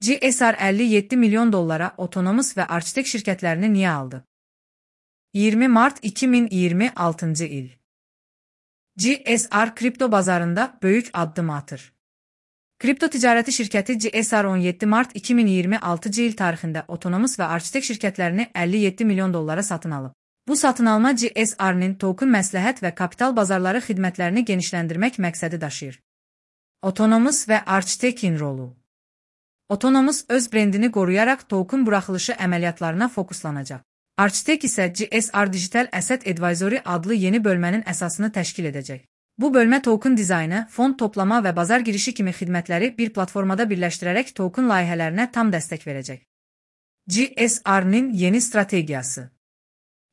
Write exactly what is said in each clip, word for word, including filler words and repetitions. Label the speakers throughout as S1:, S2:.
S1: G S R elli yeddi milyon dollara otonomous ve Architect şirketlerini niye aldı? iyirmi Mart iki min iyirmi altıncı il. G S R kripto bazarında büyük adım atır. Kripto ticareti şirketi G S R on yeddi Mart iki min iyirmi altıncı il tarixində otonomous ve Architect şirketlerini elli yeddi milyon dollara satın alıb. Bu satın alma G S R'nin token məsləhət və kapital bazarları xidmətlərini genişləndirmək məqsədi daşıyır. Otonomous ve Architect'in rolu. Otonomous öz brendini qoruyaraq token buraxılışı əməliyyatlarına fokuslanacaq. Architect isə G S R Digital Asset Advisory adlı yeni bölmənin əsasını təşkil edəcək. Bu bölmə token dizaynı, fond toplama və bazar girişi kimi xidmətləri bir platformada birləşdirərək token layihələrinə tam dəstək verəcək. G S R'nin yeni strategiyası.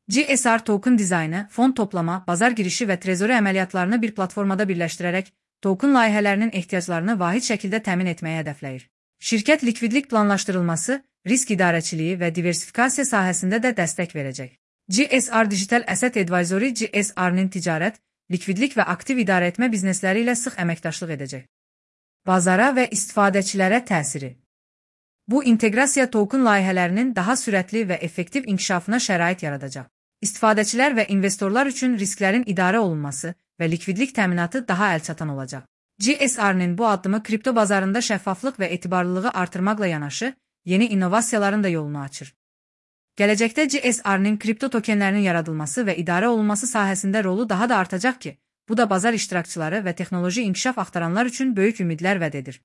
S1: G S R token dizaynı, fond toplama, bazar girişi və trezori əməliyyatlarını bir platformada birləşdirərək token layihələrinin ehtiyaclarını vahid şəkildə təmin etməyə hədəfləyir. Şirkət likvidlik planlaşdırılması, risk idarəçiliyi və diversifikasiya sahəsində də dəstək verəcək. G S R Digital Asset Advisory G S R'nin ticarət, likvidlik və aktiv idarəetmə biznesləri ilə sıx əməkdaşlıq edəcək. Bazara və istifadəçilərə təsiri. Bu inteqrasiya token layihələrinin daha sürətli və effektiv inkişafına şərait yaradacaq. İstifadəçilər və investorlar üçün risklərin idarə olunması və likvidlik təminatı daha əlçatan olacaq. G S R'nin bu addımı kripto bazarında şəffaflıq və etibarlılığı artırmaqla yanaşı, yeni innovasiyaların da yolunu açır. Gələcəkdə G S R'nin kripto tokenlərinin yaradılması və idarə olunması sahəsində rolu daha da artacaq ki, bu da bazar iştirakçıları və texnoloji inkişaf axtaranlar üçün böyük ümidlər vəd edir.